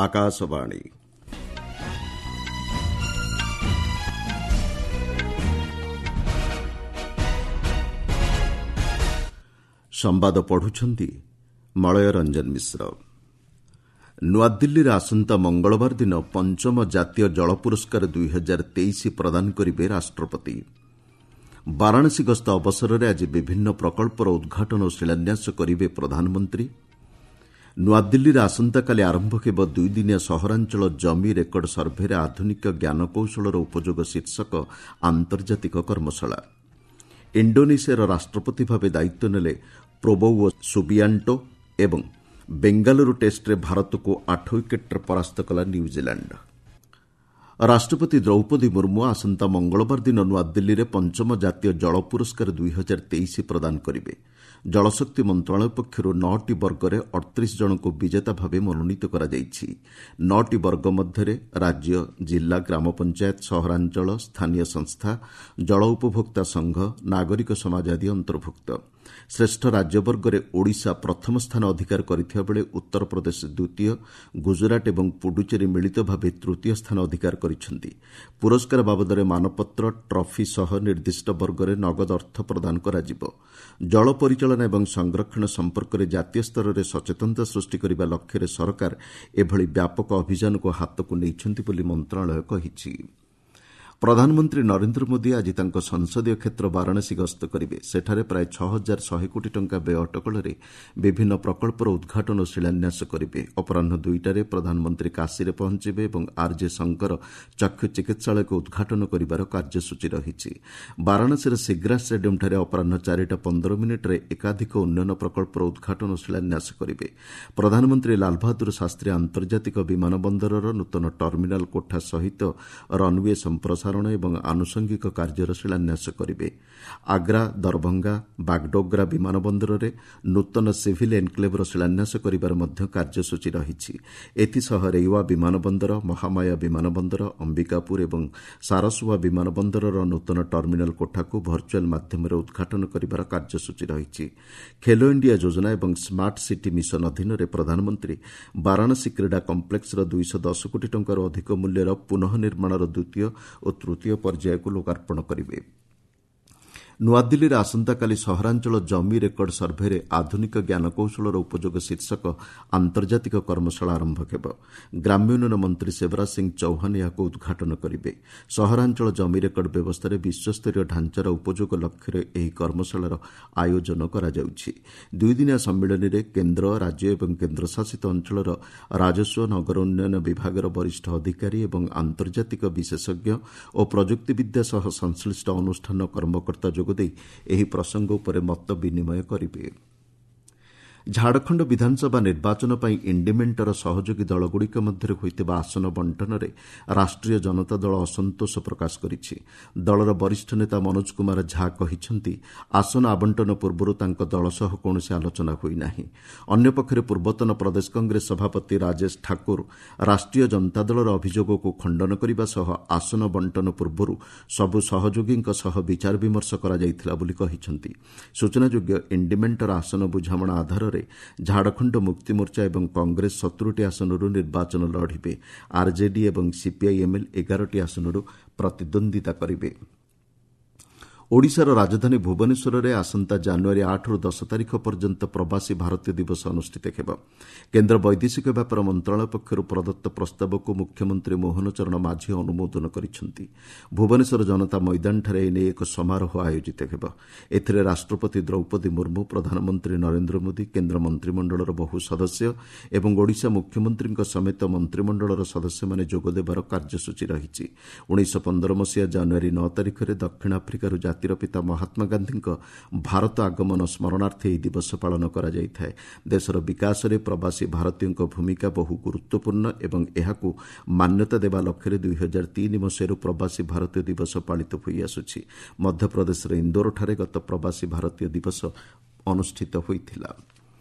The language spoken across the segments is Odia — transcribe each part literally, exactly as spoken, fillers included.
ଆକାଶବାଣୀ। ସମ୍ବାଦ ପଢୁଛନ୍ତି ମଳୟ ରଞ୍ଜନ ମିଶ୍ର। ନୂଆଦିଲ୍ଲୀରେ ଆସନ୍ତା ମଙ୍ଗଳବାର ଦିନ ପଞ୍ଚମ ଜାତୀୟ ଜଳ ପୁରସ୍କାର ଦୁଇ ହଜାର ତେଇଶ ପ୍ରଦାନ କରିବେ ରାଷ୍ଟ୍ରପତି। ବାରାଣସୀ ଗସ୍ତ ଅବସରରେ ଆଜି ବିଭିନ୍ନ ପ୍ରକଳ୍ପର ଉଦ୍ଘାଟନ ଓ ଶିଳାନ୍ୟାସ କରିବେ ପ୍ରଧାନମନ୍ତ୍ରୀ। ନୂଆଦିଲ୍ଲୀରେ ଆସନ୍ତାକାଲି ଆରମ୍ଭ ହେବ ଦୁଇଦିନିଆ ସହରାଞ୍ଚଳ ଜମି ରେକର୍ଡ ସର୍ଭେରେ ଆଧୁନିକ ଜ୍ଞାନକୌଶଳର ଉପଯୋଗ ଶୀର୍ଷକ ଆନ୍ତର୍ଜାତିକ କର୍ମଶାଳା। ଇଣ୍ଡୋନେସିଆର ରାଷ୍ଟ୍ରପତି ଭାବେ ଦାୟିତ୍ୱ ନେଲେ ପ୍ରୋବୋୱୋ ସୁବିଆଣ୍ଟୋ ଏବଂ ବେଙ୍ଗାଲୁରୁ ଟେଷ୍ଟରେ ଭାରତକୁ ଆଠ ୱିକେଟ୍ରେ ପରାସ୍ତ କଲା ନ୍ୟୁଜିଲାଣ୍ଡ। ରାଷ୍ଟ୍ରପତି ଦ୍ରୌପଦୀ ମୁର୍ମୁ ଆସନ୍ତା ମଙ୍ଗଳବାର ଦିନ ନୂଆଦିଲ୍ଲୀରେ ପଞ୍ଚମ ଜାତୀୟ ଜଳ ପୁରସ୍କାର ଦୁଇ ହଜାର ତେଇଶ ପ୍ରଦାନ କରିବେ। ଜଳଶକ୍ତି ମନ୍ତ୍ରଣାଳୟ ପକ୍ଷରୁ ନଅଟି ବର୍ଗରେ ଅଠତିରିଶ ଜଣଙ୍କୁ ବିଜେତା ଭାବେ ମନୋନୀତ କରାଯାଇଛି। ନଅଟି ବର୍ଗ ମଧ୍ୟରେ ରାଜ୍ୟ, ଜିଲ୍ଲା, ଗ୍ରାମପଞ୍ଚାୟତ, ସହରାଞ୍ଚଳ, ସ୍ଥାନୀୟ ସଂସ୍ଥା, ଜଳ ଉପଭୋକ୍ତା ସଂଘ, ନାଗରିକ ସମାଜ ଆଦି ଅନ୍ତର୍ଭୁକ୍ତ। ଶ୍ରେଷ୍ଠ ରାଜ୍ୟ ବର୍ଗରେ ଓଡ଼ିଶା ପ୍ରଥମ ସ୍ଥାନ ଅଧିକାର କରିଥିବା ବେଳେ ଉତ୍ତରପ୍ରଦେଶ ଦ୍ୱିତୀୟ, ଗୁଜରାଟ ଏବଂ ପୁଡୁଚେରୀ ମିଳିତ ଭାବେ ତୃତୀୟ ସ୍ଥାନ ଅଧିକାର କରିଛନ୍ତି। ପୁରସ୍କାର ବାବଦରେ ମାନପତ୍ର, ଟ୍ରଫି ସହ ନିର୍ଦ୍ଦିଷ୍ଟ ବର୍ଗରେ ନଗଦ ଅର୍ଥ ପ୍ରଦାନ କରାଯିବ। ଜଳ ପରିଚାଳନା ଏବଂ ସଂରକ୍ଷଣ ସମ୍ପର୍କରେ ଜାତୀୟ ସ୍ତରରେ ସଚେତନତା ସୃଷ୍ଟି କରିବା ଲକ୍ଷ୍ୟରେ ସରକାର ଏଭଳି ବ୍ୟାପକ ଅଭିଯାନକୁ ହାତକୁ ନେଇଛନ୍ତି ବୋଲି ମନ୍ତ୍ରଣାଳୟ କହିଛି। ପ୍ରଧାନମନ୍ତ୍ରୀ ନରେନ୍ଦ୍ର ମୋଦି ଆଜି ତାଙ୍କ ସଂସଦୀୟ କ୍ଷେତ୍ର ବାରାଣସୀ ଗସ୍ତ କରିବେ। ସେଠାରେ ପ୍ରାୟ ଛଅ ହଜାର ଶହେ କୋଟି ଟଙ୍କା ବ୍ୟୟ ଅଟକଳରେ ବିଭିନ୍ନ ପ୍ରକଳ୍ପର ଉଦ୍ଘାଟନ ଓ ଶିଳାନ୍ୟାସ କରିବେ। ଅପରାହ୍ନ ଦୁଇଟାରେ ପ୍ରଧାନମନ୍ତ୍ରୀ କାଶୀରେ ପହଞ୍ଚିବେ ଏବଂ ଆର୍ଜେ ଶଙ୍କର ଚକ୍ଷୁ ଚିକିତ୍ସାଳୟକୁ ଉଦ୍ଘାଟନ କରିବାର କାର୍ଯ୍ୟସୂଚୀ ରହିଛି। ବାରାଣସୀର ସିଗ୍ରା ଷ୍ଟାଡିୟମ୍ଠାରେ ଅପରାହ୍ନ ଚାରିଟା ପନ୍ଦର ମିନିଟ୍ରେ ଏକାଧିକ ଉନ୍ନୟନ ପ୍ରକଳ୍ପର ଉଦ୍ଘାଟନ ଓ ଶିଳାନ୍ୟାସ କରିବେ। ପ୍ରଧାନମନ୍ତ୍ରୀ ଲାଲବାହାଦୁର ଶାସ୍ତ୍ରୀ ଆନ୍ତର୍ଜାତିକ ବିମାନ ବନ୍ଦରର ନୂତନ ଟର୍ମିନାଲ୍ କୋଠା ସହିତ ରନ୍ୱେ ସମ୍ପ୍ରସାରଣ ଏବଂ ଆନୁଷଙ୍ଗିକ କାର୍ଯ୍ୟର ଶିଳାନ୍ୟାସ କରିବେ। ଆଗ୍ରା, ଦରଭଙ୍ଗା, ବାଗଡୋଗ୍ରା ବିମାନ ବନ୍ଦରରେ ନୂତନ ସିଭିଲ୍ ଏନ୍କ୍ଲେଭ୍ର ଶିଳାନ୍ୟାସ କରିବାର ମଧ୍ୟ କାର୍ଯ୍ୟସୂଚୀ ରହିଛି। ଏଥିସହ ରେୱା ବିମାନ ବନ୍ଦର, ମହାମାୟା ବିମାନ ବନ୍ଦର, ଅମ୍ବିକାପୁର ଏବଂ ସାରସୁଆ ବିମାନ ବନ୍ଦରର ନୂତନ ଟର୍ମିନାଲ୍ କୋଠାକୁ ଭର୍ଚୁଆଲ୍ ମାଧ୍ୟମରେ ଉଦ୍ଘାଟନ କରିବାର କାର୍ଯ୍ୟସୂଚୀ ରହିଛି। ଖେଲୋ ଇଣ୍ଡିଆ ଯୋଜନା ଏବଂ ସ୍ମାର୍ଟ ସିଟି ମିଶନ ଅଧୀନରେ ପ୍ରଧାନମନ୍ତ୍ରୀ ବାରାଣସୀ କ୍ରୀଡ଼ା କମ୍ପ୍ଲେକ୍ସର ଦୁଇଶହ ଦଶ କୋଟି ଟଙ୍କାରୁ ଅଧିକ ମୂଲ୍ୟର ପୁନଃ ନିର୍ମାଣର ଦ୍ୱିତୀୟ ଓ ତୃତୀୟ ପର୍ଯ୍ୟାୟକୁ ଲୋକାର୍ପଣ କରିବେ। ନୂଆଦିଲ୍ଲୀରେ ଆସନ୍ତାକାଲି ସହରାଞ୍ଚଳ ଜମି ରେକର୍ଡ ସର୍ଭେରେ ଆଧୁନିକ ଜ୍ଞାନକୌଶଳର ଉପଯୋଗ ଶୀର୍ଷକ ଆନ୍ତର୍ଜାତିକ କର୍ମଶାଳା ଆରମ୍ଭ ହେବ। ଗ୍ରାମ୍ୟ ଉନ୍ନୟନ ମନ୍ତ୍ରୀ ଶିବରାଜ ସିଂ ଚୌହାନ ଏହାକୁ ଉଦ୍ଘାଟନ କରିବେ। ସହରାଞ୍ଚଳ ଜମି ରେକର୍ଡ ବ୍ୟବସ୍ଥାରେ ବିଶ୍ୱସ୍ତରୀୟ ଢାଞ୍ଚାର ଉପଯୋଗ ଲକ୍ଷ୍ୟରେ ଏହି କର୍ମଶାଳାର ଆୟୋଜନ କରାଯାଉଛି। ଦୁଇଦିନିଆ ସମ୍ମିଳନୀରେ କେନ୍ଦ୍ର, ରାଜ୍ୟ ଏବଂ କେନ୍ଦ୍ରଶାସିତ ଅଞ୍ଚଳର ରାଜସ୍ୱ, ନଗର ଉନ୍ନୟନ ବିଭାଗର ବରିଷ୍ଠ ଅଧିକାରୀ ଏବଂ ଆନ୍ତର୍ଜାତିକ ବିଶେଷଜ୍ଞ ଓ ପ୍ରଯୁକ୍ତିବିଦ୍ୟା ସହ ସଂଶ୍ଳିଷ୍ଟ ଅନୁଷ୍ଠାନ କର୍ମକର୍ତ୍ତା ଯୋଗ ଦେଇ ଏହି ପ୍ରସଙ୍ଗ ଉପରେ ମତ ବିନିମୟ କରିବେ। ଝାଡ଼ଖଣ୍ଡ ବିଧାନସଭା ନିର୍ବାଚନ ପାଇଁ ଇଣ୍ଡିମେଣ୍ଟର ସହଯୋଗୀ ଦଳଗୁଡ଼ିକ ମଧ୍ୟରେ ହୋଇଥିବା ଆସନ ବଣ୍ଟନରେ ରାଷ୍ଟ୍ରୀୟ ଜନତା ଦଳ ଅସନ୍ତୋଷ ପ୍ରକାଶ କରିଛି। ଦଳର ବରିଷ୍ଠ ନେତା ମନୋଜ କୁମାର ଝା କହିଛନ୍ତି, ଆସନ ଆବଣ୍ଟନ ପୂର୍ବରୁ ତାଙ୍କ ଦଳ ସହ କୌଣସି ଆଲୋଚନା ହୋଇନାହିଁ। ଅନ୍ୟପକ୍ଷରେ ପୂର୍ବତନ ପ୍ରଦେଶ କଂଗ୍ରେସ ସଭାପତି ରାଜେଶ ଠାକୁର ରାଷ୍ଟ୍ରୀୟ ଜନତା ଦଳର ଅଭିଯୋଗକୁ ଖଣ୍ଡନ କରିବା ସହ ଆସନ ବଣ୍ଟନ ପୂର୍ବରୁ ସବୁ ସହଯୋଗୀଙ୍କ ସହ ବିଚାର ବିମର୍ଶ କରାଯାଇଥିଲା ବୋଲି କହିଛନ୍ତି। ସୂଚନାଯୋଗ୍ୟ, ଇଣ୍ଡିମେଣ୍ଟର ଆସନ ବୁଝାମଣା ଆଧାରରେ ଝାଡ଼ଖଣ୍ଡ ମୁକ୍ତିମୋର୍ଚ୍ଚା ଏବଂ କଂଗ୍ରେସ ସତୁରିଟି ଆସନରୁ ନିର୍ବାଚନ ଲଢ଼ିବେ। ଆର୍ଜେଡି ଏବଂ ସିପିଆଇଏମ୍ଏଲ୍ ଏଗାରଟି ଆସନରୁ ପ୍ରତିଦ୍ୱନ୍ଦ୍ୱିତା କରିବେ। ଓଡ଼ିଶାର ରାଜଧାନୀ ଭୁବନେଶ୍ୱରରେ ଆସନ୍ତା ଜାନୁଆରୀ ଆଠରୁ ଦଶ ତାରିଖ ପର୍ଯ୍ୟନ୍ତ ପ୍ରବାସୀ ଭାରତୀୟ ଦିବସ ଅନୁଷ୍ଠିତ ହେବ। କେନ୍ଦ୍ର ବୈଦେଶିକ ବ୍ୟାପାର ମନ୍ତ୍ରଣାଳୟ ପକ୍ଷରୁ ପ୍ରଦତ୍ତ ପ୍ରସ୍ତାବକୁ ମୁଖ୍ୟମନ୍ତ୍ରୀ ମୋହନ ଚରଣ ମାଝୀ ଅନୁମୋଦନ କରିଛନ୍ତି। ଭୁବନେଶ୍ୱର ଜନତା ମଇଦାନଠାରେ ଏନେଇ ଏକ ସମାରୋହ ଆୟୋଜିତ ହେବ। ଏଥିରେ ରାଷ୍ଟ୍ରପତି ଦ୍ରୌପଦୀ ମୁର୍ମୁ, ପ୍ରଧାନମନ୍ତ୍ରୀ ନରେନ୍ଦ୍ର ମୋଦି, କେନ୍ଦ୍ର ମନ୍ତ୍ରିମଣ୍ଡଳର ବହୁ ସଦସ୍ୟ ଏବଂ ଓଡ଼ିଶା ମୁଖ୍ୟମନ୍ତ୍ରୀଙ୍କ ସମେତ ମନ୍ତ୍ରିମଣ୍ଡଳର ସଦସ୍ୟମାନେ ଯୋଗଦେବାର କାର୍ଯ୍ୟସୂଚୀ ରହିଛି। ଉଣେଇଶହ ପନ୍ଦର ମସିହା ଜାନୁଆରୀ ନଅ ତାରିଖରେ ଦକ୍ଷିଣ ଆଫ୍ରିକାରୁ ଜାତିର ପିତା ମହାତ୍ମା ଗାନ୍ଧୀଙ୍କ ଭାରତ ଆଗମନ ସ୍ମରଣାର୍ଥେ ଏହି ଦିବସ ପାଳନ କରାଯାଇଥାଏ। ଦେଶର ବିକାଶରେ ପ୍ରବାସୀ ଭାରତୀୟଙ୍କ ଭୂମିକା ବହୁ ଗୁରୁତ୍ୱପୂର୍ଣ୍ଣ ଏବଂ ଏହାକୁ ମାନ୍ୟତା ଦେବା ଲକ୍ଷ୍ୟରେ ଦୁଇ ହଜାର ତିନି ମସିହାରୁ ପ୍ରବାସୀ ଭାରତୀୟ ଦିବସ ପାଳିତ ହୋଇଆସୁଛି। ମଧ୍ୟପ୍ରଦେଶର ଇନ୍ଦୋରଠାରେ ଗତ ପ୍ରବାସୀ ଭାରତୀୟ ଦିବସ ଅନୁଷ୍ଠିତ ହୋଇଥିଲା।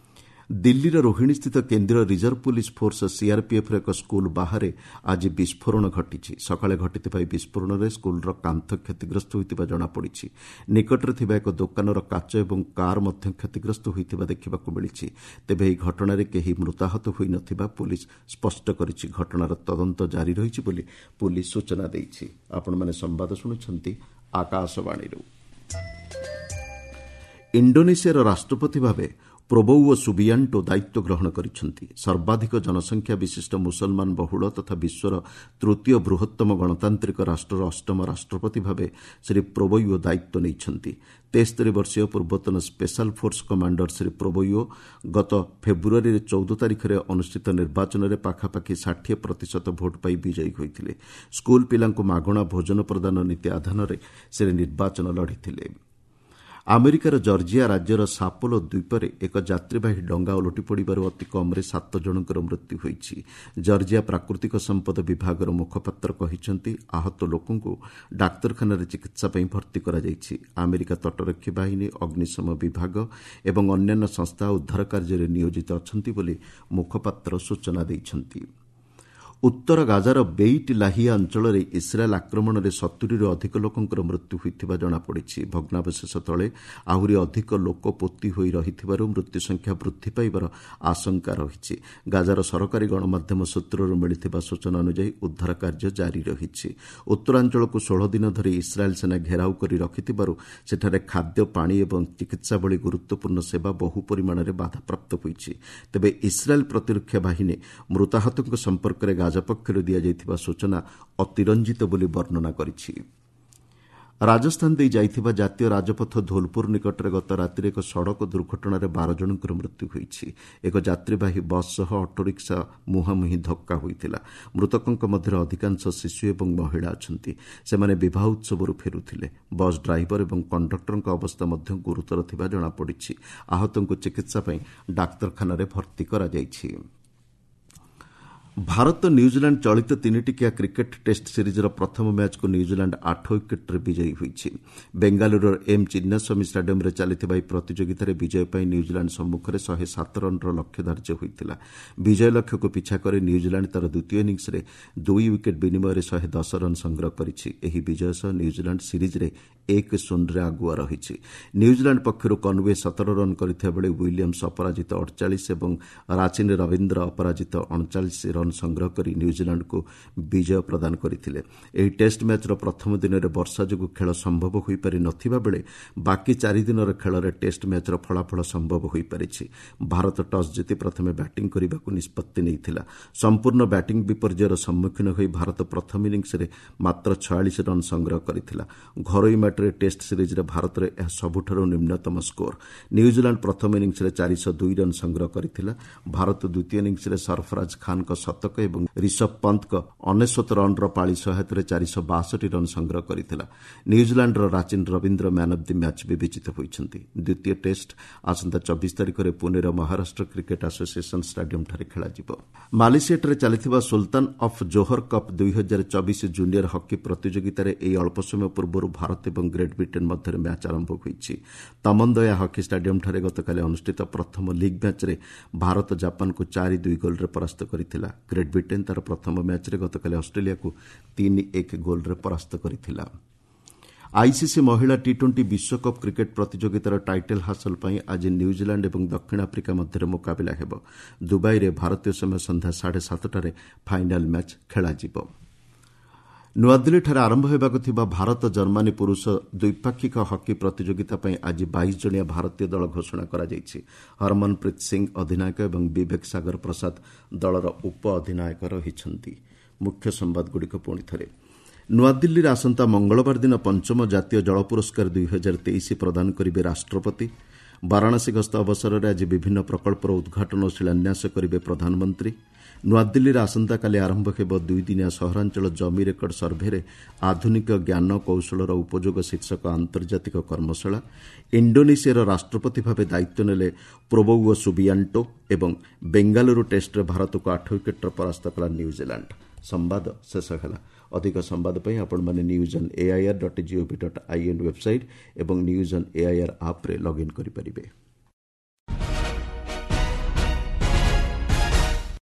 ଦିଲ୍ଲୀର ରୋହିଣୀସ୍ଥିତ କେନ୍ଦ୍ରୀୟ ରିଜର୍ଭ ପୁଲିସ୍ ଫୋର୍ସ ସିଆର୍ପିଏଫ୍ର ଏକ ସ୍କୁଲ ବାହାରେ ଆଜି ବିସ୍ଫୋରଣ ଘଟିଛି। ସକାଳେ ଘଟିଥିବା ଏହି ବିସ୍ଫୋରଣରେ ସ୍କୁଲର କାନ୍ଥ କ୍ଷତିଗ୍ରସ୍ତ ହୋଇଥିବା ଜଣାପଡ଼ିଛି। ନିକଟରେ ଥିବା ଏକ ଦୋକାନର କାଚ ଏବଂ କାର୍ ମଧ୍ୟ କ୍ଷତିଗ୍ରସ୍ତ ହୋଇଥିବା ଦେଖିବାକୁ ମିଳିଛି। ତେବେ ଏହି ଘଟଣାରେ କେହି ମୃତାହତ ହୋଇନଥିବା ପୁଲିସ୍ ସ୍ପଷ୍ଟ କରିଛି। ଘଟଣାର ତଦନ୍ତ ଜାରି ରହିଛି ବୋଲି ପୁଲିସ୍ ସୂଚନା ଦେଇଛି। ଆପଣମାନେ ସମ୍ବାଦ ଶୁଣୁଛନ୍ତି ଆକାଶବାଣୀରୁ। ଇଣ୍ଡୋନେସିଆର ରାଷ୍ଟ୍ରପତି ଭାବେ ପ୍ରୋବୋୱୋ ସୁବିଆଣ୍ଟୋ ଦାୟିତ୍ୱ ଗ୍ରହଣ କରିଛନ୍ତି। ସର୍ବାଧିକ ଜନସଂଖ୍ୟା ବିଶିଷ୍ଟ ମୁସଲମାନ ବହୁଳ ତଥା ବିଶ୍ୱର ତୃତୀୟ ବୃହତ୍ତମ ଗଣତାନ୍ତ୍ରିକ ରାଷ୍ଟ୍ରର ଅଷ୍ଟମ ରାଷ୍ଟ୍ରପତି ଭାବେ ଶ୍ରୀ ପ୍ରୋବୋୱୋ ଦାୟିତ୍ୱ ନେଇଛନ୍ତି। ତେସ୍ତରୀ ବର୍ଷୀୟ ପୂର୍ବତନ ସ୍ପେଶାଲ ଫୋର୍ସ କମାଣ୍ଡର ଶ୍ରୀ ପ୍ରୋବୋୱୋ ଗତ ଫେବୃଆରୀରେ ଚଉଦ ତାରିଖରେ ଅନୁଷ୍ଠିତ ନିର୍ବାଚନରେ ପାଖାପାଖି ଷାଠିଏ ପ୍ରତିଶତ ଭୋଟ୍ ପାଇ ବିଜୟୀ ହୋଇଥିଲେ। ସ୍କୁଲ ପିଲାଙ୍କୁ ମାଗଣା ଭୋଜନ ପ୍ରଦାନ ନୀତି ଆଧାରରେ ସେ ନିର୍ବାଚନ ଲଢ଼ିଥିଲେ। ଆମେରିକାର ଜର୍ଜିଆ ରାଜ୍ୟର ସାପୋଲୋ ଦ୍ୱୀପରେ ଏକ ଯାତ୍ରୀବାହୀ ଡଙ୍ଗା ଓଲଟି ପଡ଼ିବାରୁ ଅତି କମ୍ରେ ସାତ ଜଣଙ୍କର ମୃତ୍ୟୁ ହୋଇଛି। ଜର୍ଜିଆ ପ୍ରାକୃତିକ ସମ୍ପଦ ବିଭାଗର ମୁଖପାତ୍ର କହିଛନ୍ତି, ଆହତ ଲୋକଙ୍କୁ ଡାକ୍ତରଖାନାରେ ଚିକିତ୍ସା ପାଇଁ ଭର୍ତ୍ତି କରାଯାଇଛି। ଆମେରିକା ତଟରକ୍ଷୀ ବାହିନୀ, ଅଗ୍ନିଶମ ବିଭାଗ ଏବଂ ଅନ୍ୟାନ୍ୟ ସଂସ୍ଥା ଉଦ୍ଧାର କାର୍ଯ୍ୟରେ ନିୟୋଜିତ ଅଛନ୍ତି ବୋଲି ମୁଖପାତ୍ର ସୂଚନା ଦେଇଛନ୍ତି। ଉତ୍ତର ଗାଜାର ବେଇଟ୍ ଲାହିଆ ଅଞ୍ଚଳରେ ଇସ୍ରାଏଲ୍ ଆକ୍ରମଣରେ ସତୁରିରୁ ଅଧିକ ଲୋକଙ୍କର ମୃତ୍ୟୁ ହୋଇଥିବା ଜଣାପଡ଼ିଛି। ଭଗ୍ନାବଶେଷ ତଳେ ଆହୁରି ଅଧିକ ଲୋକ ପୋତି ହୋଇ ରହିଥିବାରୁ ମୃତ୍ୟୁ ସଂଖ୍ୟା ବୃଦ୍ଧି ପାଇବାର ଆଶଙ୍କା ରହିଛି। ଗାଜାର ସରକାରୀ ଗଣମାଧ୍ୟମ ସୂତ୍ରରୁ ମିଳିଥିବା ସୂଚନା ଅନୁଯାୟୀ ଉଦ୍ଧାର କାର୍ଯ୍ୟ ଜାରି ରହିଛି। ଉତ୍ତରାଞ୍ଚଳକୁ ଷୋହଳ ଦିନ ଧରି ଇସ୍ରାଏଲ୍ ସେନା ଘେରାଉ କରି ରଖିଥିବାରୁ ସେଠାରେ ଖାଦ୍ୟ, ପାଣି ଏବଂ ଚିକିତ୍ସା ଭଳି ଗୁରୁତ୍ୱପୂର୍ଣ୍ଣ ସେବା ବହୁ ପରିମାଣରେ ବାଧାପ୍ରାପ୍ତ ହୋଇଛି। ତେବେ ଇସ୍ରାଏଲ୍ ପ୍ରତିରକ୍ଷା ବାହିନୀ ମୃତାହତଙ୍କ ସମ୍ପର୍କରେ ଗାଜା ପକ୍ଷରୁ ଦିଆଯାଇଥିବା ସୂଚନା ଅତିରଞ୍ଜିତ ବୋଲି ବର୍ଣ୍ଣନା କରିଛି। ରାଜସ୍ଥାନ ଦେଇ ଯାଇଥିବା ଜାତୀୟ ରାଜପଥ ଧୋଲପୁର ନିକଟରେ ଗତ ରାତିରେ ଏକ ସଡ଼କ ଦୁର୍ଘଟଣାରେ ବାର ଜଣଙ୍କର ମୃତ୍ୟୁ ହୋଇଛି। ଏକ ଯାତ୍ରୀବାହୀ ବସ୍ ସହ ଅଟୋରିକ୍ସା ମୁହାଁମୁହିଁ ଧକ୍କା ହୋଇଥିଲା। ମୃତକଙ୍କ ମଧ୍ୟରେ ଅଧିକାଂଶ ଶିଶୁ ଏବଂ ମହିଳା ଅଛନ୍ତି। ସେମାନେ ବିବାହ ଉତ୍ସବରୁ ଫେରୁଥିଲେ। ବସ୍ ଡ୍ରାଇଭର ଏବଂ କଣ୍ଡକ୍ଟରଙ୍କ ଅବସ୍ଥା ମଧ୍ୟ ଗୁରୁତର ଥିବା ଜଣାପଡ଼ିଛି। ଆହତଙ୍କୁ ଚିକିତ୍ସା ପାଇଁ ଡାକ୍ତରଖାନାରେ ଭର୍ତ୍ତି କରାଯାଇଛି। ଭାରତ ନ୍ୟୁଜିଲାଣ୍ଡ ଚଳିତ ତିନିଟିକିଆ କ୍ରିକେଟ୍ ଟେଷ୍ଟ ସିରିଜ୍ର ପ୍ରଥମ ମ୍ୟାଚ୍କୁ ନ୍ୟୁଜିଲାଣ୍ଡ ଆଠ ୱିକେଟ୍ରେ ବିଜୟୀ ହୋଇଛି। ବେଙ୍ଗାଲୁରୁର ଏମ୍ ଚିନ୍ନାସ୍ୱାମୀ ଷ୍ଟାଡିୟମ୍ରେ ଚାଲିଥିବା ଏହି ପ୍ରତିଯୋଗିତାରେ ବିଜୟ ପାଇଁ ନ୍ୟୁଜିଲାଣ୍ଡ ସମ୍ମୁଖରେ ଶହେ ସାତ ରନ୍ର ଲକ୍ଷ୍ୟ ଧାର୍ଯ୍ୟ ହୋଇଥିଲା। ବିଜୟ ଲକ୍ଷ୍ୟକୁ ପିଛା କରି ନ୍ୟୁଜିଲାଣ୍ଡ ତା'ର ଦ୍ୱିତୀୟ ଇନିଂସରେ ଦୁଇ ୱିକେଟ୍ ବିନିମୟରେ ଶହେ ଦଶ ରନ୍ ସଂଗ୍ରହ କରିଛି। ଏହି ବିଜୟ ସହ ନ୍ୟୁଜିଲାଣ୍ଡ ସିରିଜ୍ରେ ଏକ ଶୂନରେ ଆଗୁଆ ରହିଛି। ନ୍ୟୁଜିଲାଣ୍ଡ ପକ୍ଷରୁ କନ୍ୱେ ସତର ରନ୍ କରିଥିବା ବେଳେ ୱିଲିୟମ୍ସ ଅପରାଜିତ ଅଡ଼ଚାଳିଶ ଏବଂ ରାଚିନ୍ ରବୀନ୍ଦ୍ର ଅପରାଜିତ ଅଣଚାଳିଶ ରନ୍ ସଂଗ୍ରହ କରି ନ୍ୟୁଜିଲାଣ୍ଡକୁ ବିଜୟ ପ୍ରଦାନ କରିଥିଲେ। ଏହି ଟେଷ୍ଟ ମ୍ୟାଚ୍ର ପ୍ରଥମ ଦିନରେ ବର୍ଷା ଯୋଗୁଁ ଖେଳ ସମ୍ଭବ ହୋଇପାରି ନଥିବା ବେଳେ ବାକି ଚାରିଦିନର ଖେଳରେ ଟେଷ୍ଟ ମ୍ୟାଚ୍ର ଫଳାଫଳ ସମ୍ଭବ ହୋଇପାରିଛି। ଭାରତ ଟସ୍ ଜିତି ପ୍ରଥମେ ବ୍ୟାଟିଂ କରିବାକୁ ନିଷ୍ପତ୍ତି ନେଇଥିଲା। ସମ୍ପୂର୍ଣ୍ଣ ବ୍ୟାଟିଂ ବିପର୍ଯ୍ୟୟର ସମ୍ମୁଖୀନ ହୋଇ ଭାରତ ପ୍ରଥମ ଇନିଂସରେ ମାତ୍ର ଛୟାଳିଶ ରନ୍ ସଂଗ୍ରହ କରିଥିଲା। ଘରୋଇ ମାଟିରେ ଟେଷ୍ଟ ସିରିଜ୍ରେ ଭାରତର ଏହା ସବୁଠାରୁ ନିମ୍ନତମ ସ୍କୋର। ନ୍ୟୁଜିଲାଣ୍ଡ ପ୍ରଥମ ଇନିଂସରେ ଚାରିଶହ ଦୁଇ ରନ୍ ସଂଗ୍ରହ କରିଥିଲା। ଭାରତ ଦ୍ୱିତୀୟ ଇନିଂସରେ ସରଫରାଜ ଖାନ୍ଙ୍କ ଶତକ ଏବଂ ରିଷଭ ପନ୍ତଙ୍କ ଅନେଶ୍ୱତ ରନ୍ର ପାଳି ସହାୟତାରେ ଚାରିଶହ ବାଷଠି ରନ୍ ସଂଗ୍ରହ କରିଥିଲା। ନ୍ୟୁଜିଲାଣ୍ଡର Rachin Ravindra man of the match ବିବେଚିତ ହୋଇଛନ୍ତି। ଦ୍ୱିତୀୟ ଟେଷ୍ଟ ଆସନ୍ତା ଚବିଶ ତାରିଖରେ ପୁନେର ମହାରାଷ୍ଟ୍ର କ୍ରିକେଟ୍ ଆସୋସିଏସନ୍ ଷ୍ଟାଡିୟମ୍ଠାରେ ଖେଳାଯିବ। ମାଲେସିଆଠାରେ ଚାଲିଥିବା ସୁଲତାନ ଅଫ୍ ଜୋହର କପ୍ ଦୁଇ ହଜାର ଚବିଶ ଜୁନିୟର ହକି ପ୍ରତିଯୋଗିତାରେ ଏହି ଅଳ୍ପ ସମୟ ପୂର୍ବରୁ ଭାରତ ଏବଂ ଗ୍ରେଟ୍ ବ୍ରିଟେନ୍ ମଧ୍ୟରେ ମ୍ୟାଚ୍ ଆରମ୍ଭ ହୋଇଛି। ତମନ୍ଦୟା ହକି ଷ୍ଟାଡିୟମ୍ଠାରେ ଗତକାଲି ଅନୁଷ୍ଠିତ ପ୍ରଥମ ଲିଗ୍ ମ୍ୟାଚ୍ରେ ଭାରତ ଜାପାନକୁ ଚାରି ଦୁଇ ଗୋଲ୍ରେ ପରାସ୍ତ କରିଥିଲା। ଗ୍ରେଟ୍ ବ୍ରିଟେନ୍ ତା'ର ପ୍ରଥମ ମ୍ୟାଚ୍ରେ ଗତକାଲି ଅଷ୍ଟ୍ରେଲିଆକୁ ତିନି ଏକ ଗୋଲ୍ରେ ପରାସ୍ତ କରିଥିଲା। ଆଇସିସି ମହିଳା ଟି ଟ୍ୱେଣ୍ଟି ବିଶ୍ୱକପ୍ କ୍ରିକେଟ୍ ପ୍ରତିଯୋଗିତାର ଟାଇଟଲ୍ ହାସଲ ପାଇଁ ଆଜି ନ୍ୟୁଜିଲାଣ୍ଡ ଏବଂ ଦକ୍ଷିଣ ଆଫ୍ରିକା ମଧ୍ୟରେ ମୁକାବିଲା ହେବ। ଦୁବାଇରେ ଭାରତୀୟ ସମୟ ସନ୍ଧ୍ୟା ସାଢ଼େ ସାତଟାରେ ଫାଇନାଲ୍ ମ୍ୟାଚ୍ ଖେଳାଯିବ। ନୂଆଦିଲ୍ଲୀଠାରେ ଆରମ୍ଭ ହେବାକୁ ଥିବା ଭାରତ ଜର୍ମାନୀ ପୁରୁଷ ଦ୍ୱିପାକ୍ଷିକ ହକି ପ୍ରତିଯୋଗିତା ପାଇଁ ଆଜି ବାଇଶ ଜଣିଆ ଭାରତୀୟ ଦଳ ଘୋଷଣା କରାଯାଇଛି। ହରମନପ୍ରୀତ ସିଂ ଅଧିନାୟକ ଏବଂ ବିବେକ ସାଗର ପ୍ରସାଦ ଦଳର ଉପ ଅଧିନାୟକ ରହିଛନ୍ତି। ମୁଖ୍ୟ ସମ୍ବାଦଗୁଡ଼ିକ ପୁଣି ଥରେ। ନୂଆଦିଲ୍ଲୀରେ ଆସନ୍ତା ମଙ୍ଗଳବାର ଦିନ ପଞ୍ଚମ ଜାତୀୟ ଜଳ ପୁରସ୍କାର ଦୁଇ ହଜାର ତେଇଶ ପ୍ରଦାନ କରିବେ ରାଷ୍ଟ୍ରପତି। ବାରାଣସୀ ଗସ୍ତ ଅବସରରେ ଆଜି ବିଭିନ୍ନ ପ୍ରକଳ୍ପର ଉଦ୍ଘାଟନ ଓ ଶିଳାନ୍ୟାସ କରିବେ ପ୍ରଧାନମନ୍ତ୍ରୀ। ନୂଆଦିଲ୍ଲୀରେ ଆସନ୍ତାକାଲି ଆରମ୍ଭ ହେବ ଦୁଇଦିନିଆ ସହରାଞ୍ଚଳ ଜମି ରେକର୍ଡ ସର୍ଭେରେ ଆଧୁନିକ ଜ୍ଞାନ କୌଶଳର ଉପଯୋଗ ଶୀର୍ଷକ ଆନ୍ତର୍ଜାତିକ କର୍ମଶାଳା। ଇଣ୍ଡୋନେସିଆର ରାଷ୍ଟ୍ରପତି ଭାବେ ଦାୟିତ୍ୱ ନେଲେ ପ୍ରୋବୋୱୋ ସୁବିଆଣ୍ଟୋ ଏବଂ ବେଙ୍ଗାଲୁରୁ ଟେଷ୍ଟରେ ଭାରତକୁ ଆଠ ୱିକେଟ୍ରେ ପରାସ୍ତ କଲା ନ୍ୟୁଜିଲାଣ୍ଡ। ସମ୍ବାଦ ଶେଷ ହେଲା। ଅଧିକ ସମ୍ବାଦ ପାଇଁ ଆପଣମାନେ news on AIR dot gov dot in website ଏବଂ ନ୍ୟୁଜ୍ ଅନ୍ ଏଆଇଆର୍ ଆପ୍ରେ ଲଗ୍ଇନ୍ କରିପାରିବେ।